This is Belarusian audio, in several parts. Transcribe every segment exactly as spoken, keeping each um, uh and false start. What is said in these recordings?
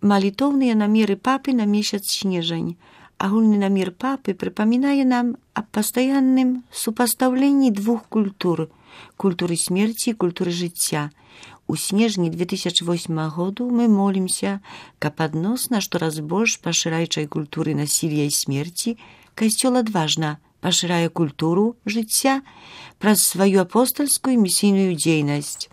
Малітоўныя намеры папы на месяц снежань. Агульны намер папы прыпамінае нам аб пастаянным супастаўленні двух культур – культуры смерці і культуры жыцця. У снежні две тысячи восьмого году мы молимся, каб адносна штораз больш пашыраючай культуры насілля і смерці, Касцёл адважна пашырае культуру жыцця праз сваю апостальскую місійную дзейнасць.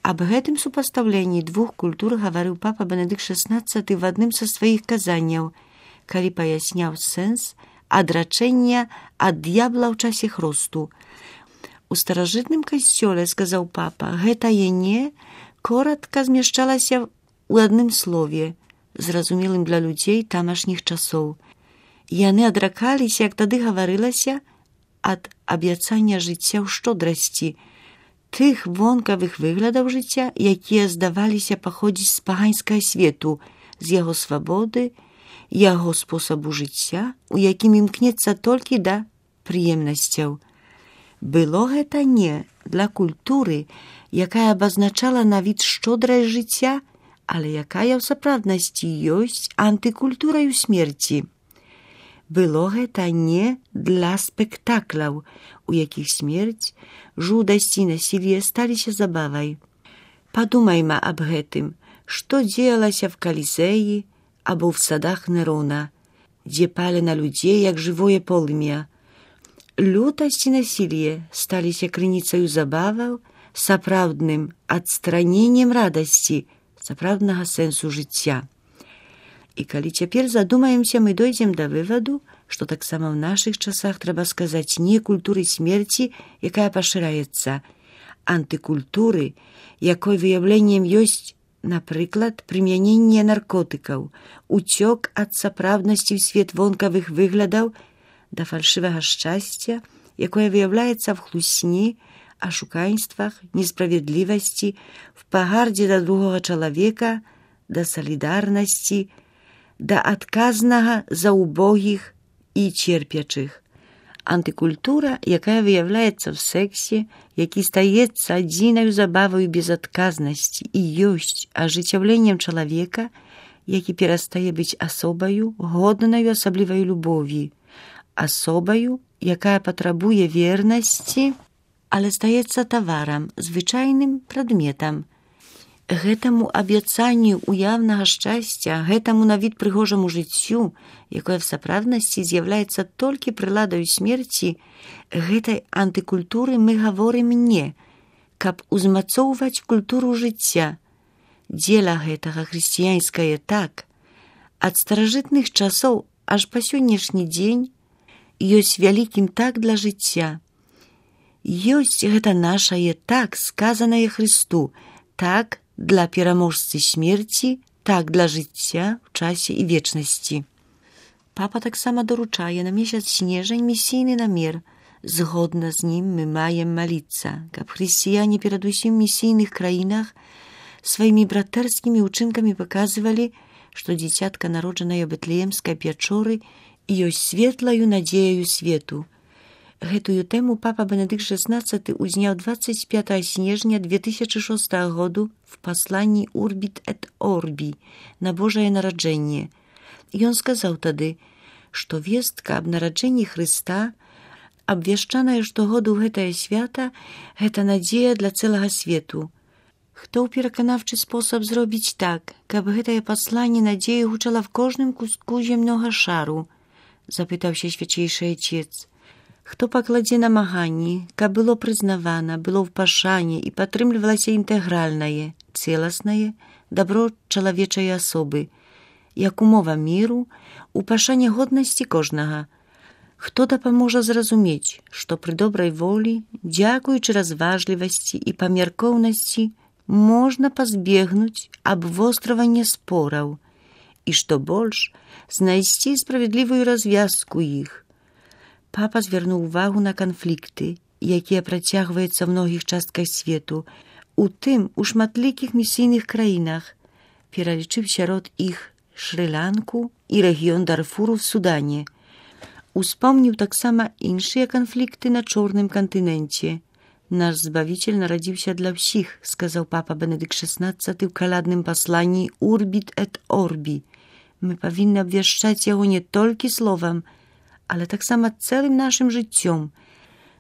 Аб гэтым супастаўленні двух культур гаварыў папа Бенедыкт шаснаццаты в адным са сваіх казанняў, калі паясняў сэнс адрачэння ад д'ябла ў часе хросту. У старажытным касцёле, сказаў папа, гэтае «не» коратка змяшчалася ў адным слове, зразумелым для людзей тамашніх часоў. Яны адракаліся, як тады гаварылася, ад абяцання жыцця ў шчодрасці, тых вонкавых выглядаў жыцця, якія здаваліся паходзіць з паганскага свету, з яго свабоды, яго спосабу жыцця, у якім імкнецца толькі да прыемнасцяў. Было гэта не для культуры, якая абазначала на від шчодрае жыцця, але якая ў сапраўднасці ёсць антыкультураю смерці. Было гэта не для спектакляў, у якіх смерць, жудасць і насілле сталіся забавай. Падумайма аб гэтым, што дзеялася в Калізеі або в садах Нерона, дзе палі на людзей, як жывое полымя. Лютасць і насілле сталіся крыніцаю забаваў, сапраўдным адстраненнем радасці, сапраўднага сэнсу жыцця. І калі цяпер задумаемся, мы дойдзем да вываду, што таксама ў нашых часах трэба сказаць не культуры смерці, якая пашыраецца, антыкультуры, якой выяўленнем ёсць, напрыклад, прымяненне наркотыкаў, уцёк ад сапраўднасці ў свет вонкавых выглядаў да фальшывага шчасця, якое выяўляецца в хлусні, ашуканствах, несправядлівасці, в пагардзе да другога чалавека, да салідарнасці, да адказнага за убогіх і церпячых. Антыкультура, якая выяўляецца в сексе, які стаецца адзінаю забаваю безадказнасці і ёсць ажыццяўленнем чалавека, які перастае быць асобаю, годнаю асаблівай любові, асобаю, якая патрабуе вернасці, але стаецца таварам, звычайным прадметам. Гэтаму абяцанню уяўнага шчасця, гэтаму на від прыгожаму жыццю, якое в сапраўднасці з'яўляецца толькі прыладаю смерці, гэтай антыкультуры мы гаворым не, каб узмацоўваць культуру жыцця. Дзеля гэтага хрысціянскае так, ад старажытных часоў аж па сённяшні дзень ёсць вялікім так для жыцця. Ёсць гэта нашае так, сказанае Хрысту, так для пераможцы смерці, так для жыцця в часе і вечнасці. Папа таксама даручае на месяц снежань місійны намер. Згодна з ім мы маем маліцца, каб хрысціяне перадусім місійных краінах сваімі братэрскімі ўчынкамі паказвалі, што дзіцятка, народжанае ў Бэтлеемскай пячоры, ёсць светлаю надзеяю свету. Гэтую тэму папа Бенедыкт шаснаццаты узняў дваццаць пятага снежня две тысячи шостага году в пасланні «Урбіт эт Орбі» на Божае нараджэнне. Ён сказаў тады, што вестка аб нараджэнні Хрыста, абвяшчаная штогоду гэтае свята, гэта надзея для цэлага свету. Хто ў пераканаўчы спосаб зробіць так, каб гэтае пасланне надзеі гучала в кожным кустку зямнога шару? Запытаўся свячэйшы Отец. Хто пакладзе намаганні, каб было прызнавана, было ў пашане і падтрымлівалася інтэгральнае, цэласнае дабро чалавечай асобы, як умова міру, у пашане годнасці кожнага. Хто дапаможа зразумець, што пры добрай волі, дзякуючы разважлівасці і памяркоўнасці, можна пазбегнуць абвостравання спораў і, што больш, знайсці справядлівую развязку іх. Папа звярнуў увагу на канфлікты, якія працягваюцца ў многіх частках свету, у тым у шматлікіх місійных краінах, пералічыў сярод іх Шры-Ланку і рэгіён Дарфуру в Судане. Успомніў таксама іншыя канфлікты на Чорным кантыненце, Наш Збавитель народился для всех, сказал папа Бенедикт шестнадцатый в колядном послании «Urbit et Orbi». Мы повинны обвещать его не только словом, ale tak samo całym naszym życiem.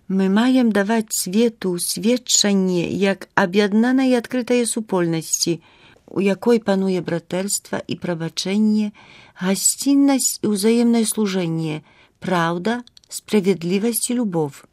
My majem dawać światu świadczenie, jak objednana i odkryta jest supolności, u jakiej panuje braterstwo i przebaczenie, gościnność i wzajemne służenie, prawda, sprawiedliwość i любов.